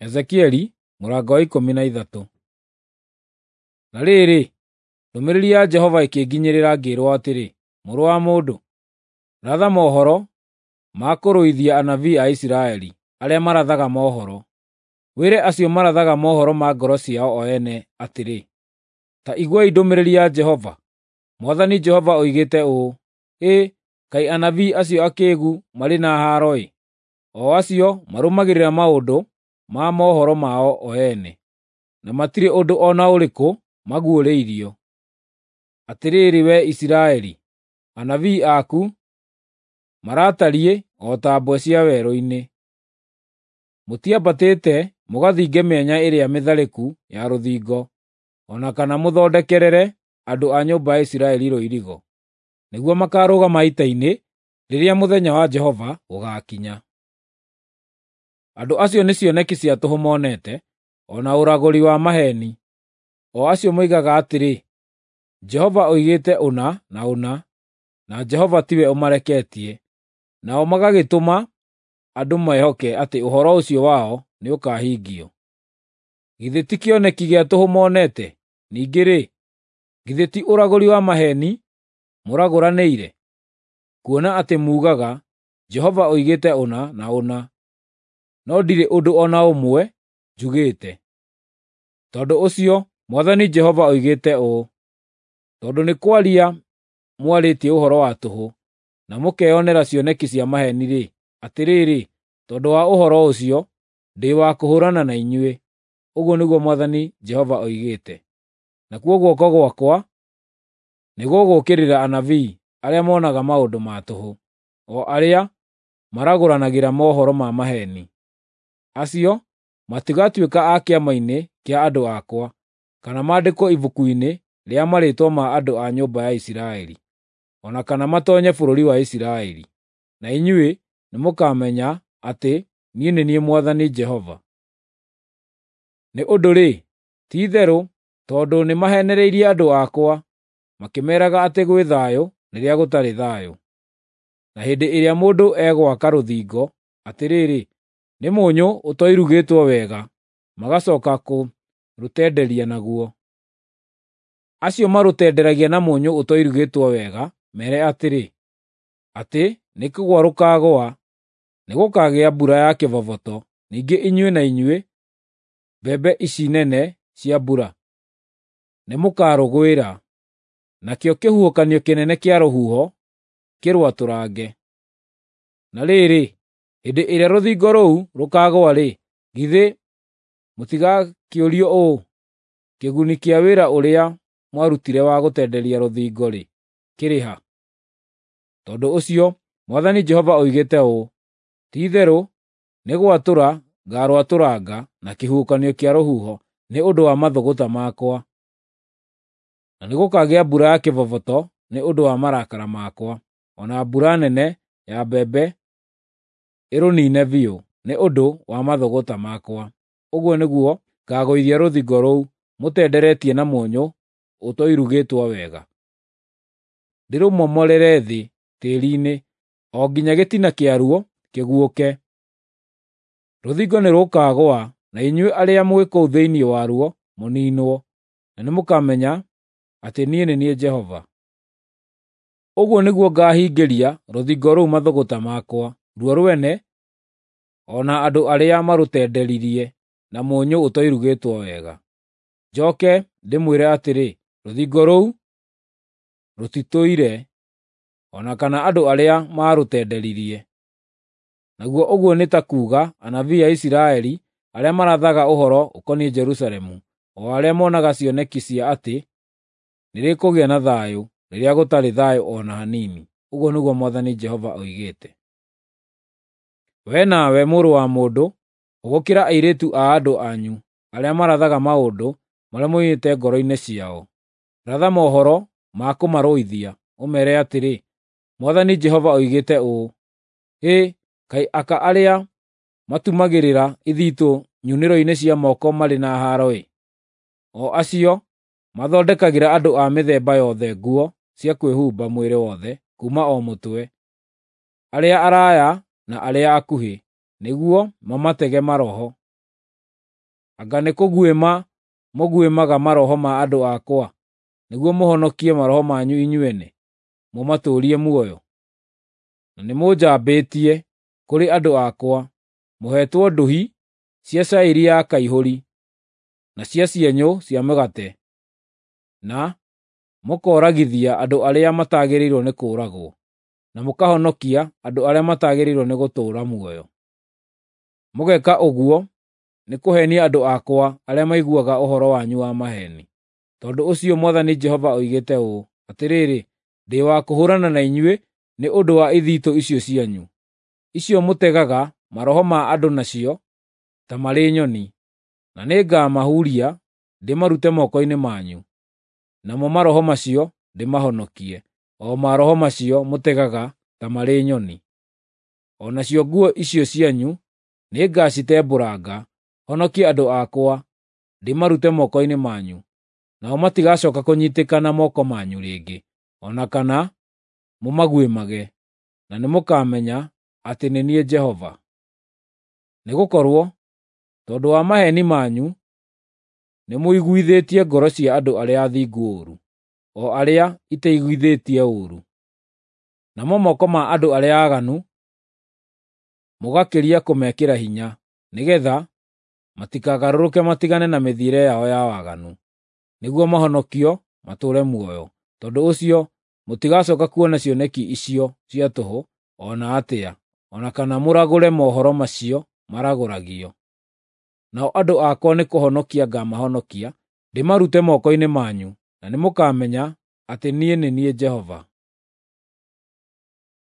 Ezekieli mũrango wa 13. Na rĩrĩ, ndũmĩrĩri ya Jehova ĩkĩnginyĩrĩra ngĩĩrwo atĩrĩ, “Mũrũ wa mũndũ, ratha mohoro ma kũrũithia anabii a Isiraeli arĩa marathaga mohoro. Wĩre acio marathaga mohoro ma ngoro ciao o ene atĩrĩ, ‘Ta iguai ndũmĩrĩri ya Jehova. Mwathani Jehova oigĩte ũũ: Hĩ, kaĩ anabii acio akĩĩgu marĩ na haaro-ĩ, o acio marũmagĩrĩra maũndũ ma mohoro mao o ene, na matirĩ ũndũ o na ũrĩkũ maguũrĩirio. Atĩrĩrĩ wee Isiraeli, anabii aku maratariĩ o ta mbwe cia werũ-inĩ. Mũtiambatĩte mũgathinge mĩanya ĩrĩa mĩtharĩku ya rũthingo, o na kana mũthondekerere andũ a nyũmba ya Isiraeli rũirigo, nĩguo makaarũgama ita-inĩ rĩrĩa mũthenya wa Jehova ũgaakinya. Andũ acio nĩ cioneki cia tũhũ monete, o na ũragũri wa maheeni, o acio moigaga atĩrĩ, ‘Jehova oigĩte ũna na ũna,’ na Jehova tiwe ũmareketie, nao magagĩtũma andũ mehoke atĩ ũhoro ũcio wao nĩũkahingio. Githĩ ti kĩoneki gĩa tũhũ monete? Ningĩ-rĩ, githĩ ti ũragũri wa maheeni mũragũranĩire? Kuona atĩ muugaga, ‘Jehova oigĩte ũna na ũna,’ no ndirĩ ũndũ o na ũmwe njugĩte. Tondũ ũcio Mwathani Jehova oigĩte ũũ: Tondũ nĩ kwaria mwarĩtie ũhoro wa tũhũ, na mũkeyonera cioneki cia maheeni-rĩ, atĩrĩrĩ, tondũ wa ũhoro ũcio ndĩ wa kũhũũrana na inyuĩ, ũguo nĩguo Mwathani Jehova oigĩte. Nakuo guoko gwakwa nĩgũgũũkĩrĩra anabii arĩa monaga maũndũ ma tũhũ, o arĩa maragũranagĩra mohoro ma maheeni. Acio matigatuĩka a kĩama-inĩ kĩa andũ akwa, kana maandĩkwo ibuku-inĩ rĩa marĩĩtwa ma andũ a nyũmba ya Isiraeli, o na kana matoonye bũrũri wa Isiraeli. Na inyuĩ nĩmũkamenya atĩ niĩ nĩ niĩ Mwathani Jehova. Nĩ ũndũ-rĩ, ti-itherũ tondũ nĩmaheenereirie andũ akwa, makĩmeeraga atĩ gwĩ thayũ rĩrĩa gũtarĩ thayũ. Na hĩndĩ ĩrĩa mũndũ egwaka rũthingo, atĩrĩrĩ, nĩ mũnyũ ũtoirugĩtwo wega, magacooka kũrũtenderia naguo. Acio marũtenderagia na mũnyũ ũtoirugĩtwo wega meere atĩrĩ, atĩ nĩkũgũa rũkaagũa, nĩgũkagĩa mbura ya kĩboboto, ningĩ inyuĩ na inyuĩ, mbembe ici nene cia mbura, nĩmũkarũgwĩra, nakĩo kĩhuhũkanio kĩnene kĩa rũhuho kĩrwatũrange. Na rĩrĩ, hĩndĩ ĩrĩa rũthingo rũu rũkaagũa-rĩ, githĩ mũtigakĩũrio ũũ, ‘Kĩguni kĩa wĩra ũrĩa mwarutire wa gũtenderia rũthingo-rĩ, kĩrĩ ha?’ Tondũ ũcio Mwathani Jehova oigĩte ũũ: Ti-itherũ nĩ gwatũra ngaarwatũranga na kĩhuhũkanio kĩa rũhuho nĩ ũndũ wa mathũgũta makwa, na nĩgũkagĩa mbura ya kĩboboto nĩ ũndũ wa marakara makwa, o na mbura nene ya mbembe ĩrũniine biũ nĩ ũndũ wa mathũgũta makwa. Ũguo nĩguo ngaagũithia rũthingo rũu mũtenderetie na mũnyũ ũtoirugĩtwo wega, ndĩrũmomorere thĩ tĩĩri-inĩ, o nginya gĩtina kĩaruo kĩguũke. Rũthingo nĩrũkagũa, na inyuĩ arĩa mwĩ kũu thĩinĩ waruo mũniinwo, na nĩmũkamenya atĩ niĩ nĩ niĩ Jehova. Ũguo nĩguo ngaahingĩria rũthingo rũu mathũgũta makwa, ruo rwene o na andũ arĩa marũtenderirie na mũnyũ ũtoirugĩtwo wega. Njooke ndĩmwĩre atĩrĩ, rũthingo rũu rũtitũire, o na kana andũ arĩa maarũtenderirie. Naguo ũguo nĩ ta kuuga anabii a Isiraeli arĩa marathaga ũhoro ũkoniĩ Jerusalemu, o arĩa monaga cioneki cia atĩ nĩrĩkũgĩa na thayũ rĩrĩa gũtarĩ thayũ o na hanini. Ũguo nĩguo Mwathani Jehova oigĩte. Wee nawe, mũrũ wa mũndũ, hũgũkĩra airĩtu a andũ anyu arĩa marathaga maũndũ marĩa moimĩte ngoro-inĩ ciao. Ratha mohoro ma kũmarũithia, ũmeere atĩrĩ, ‘Mwathani Jehova oigĩte ũũ: Hĩ, kaĩ aka arĩa matumagĩrĩra ithitũ nyunĩro-inĩ cia moko marĩ na haaro-ĩ! O acio mathondekagĩra andũ a mĩthemba yothe nguo cia kwĩhumba mwĩrĩ wothe kuuma o mũtwe, arĩa araaya na arĩa akuhĩ, nĩguo mamatege maroho. Anga nĩ kũguĩma mũguĩmaga maroho ma andũ akwa, nĩguo mũhonokie maroho manyu inyuene, mũmatũũrie muoyo? Na nĩmũnjambĩtie kũrĩ andũ akwa, mũheetwo ndũhi cia cairi ya kaihũri, na cia cienyũ cia mĩgate, na mũkooragithia andũ arĩa matagĩrĩirwo nĩ kũũragwo, na mũkahonokia andũ arĩa matagĩrĩirwo nĩ gũtũũra muoyo. Mũgeka ũguo nĩ kũheenia andũ akwa arĩa maiguaga ũhoro wanyu wa maheeni. Tondũ ũcio Mwathani Jehova oigĩte ũũ, Atĩrĩrĩ, ndĩ wa kũhũũrana na inyuĩ nĩ ũndũ wa ithitũ icio cianyu, icio mũtegaga maroho ma andũ nacio ta marĩ nyoni, na nĩngamahuria ndĩmarute moko-inĩ manyu, namo maroho macio ndĩmahonokie, o maroho macio mũtegaga ta marĩ nyoni. O nacio nguo icio cianyu nĩngacitembũranga, honokie andũ akwa ndĩmarute moko-inĩ manyu, nao matigacooka kũnyiitĩka na moko manyu rĩngĩ, o na kana mũmaguĩmage, na nĩmũkamenya atĩ nĩ niĩ Jehova. Nĩgũkorwo tondũ wa maheeni manyu nĩmũiguithĩtie ngoro cia andũ arĩa athingu ũũru, o arĩa iteiguithĩtie ũũru. Namo moko ma andũ arĩa aaganu mũgakĩria kũmekĩra hinya, nĩgeetha matikagarũrũke matigane na mĩthiĩre yao ya waganu, nĩguo mahonokio matũũre muoyo. Tondũ ũcio mũtigacooka kuona cioneki icio cia tũhũ o na atĩa, o na kana mũragũre mohoro macio maragũragio. Nao andũ akwa nĩkũhonokia ngaamahonokia ndĩmarute moko-inĩ manyu, na nĩmũkamenya atĩ niĩ nĩ niĩ Jehova.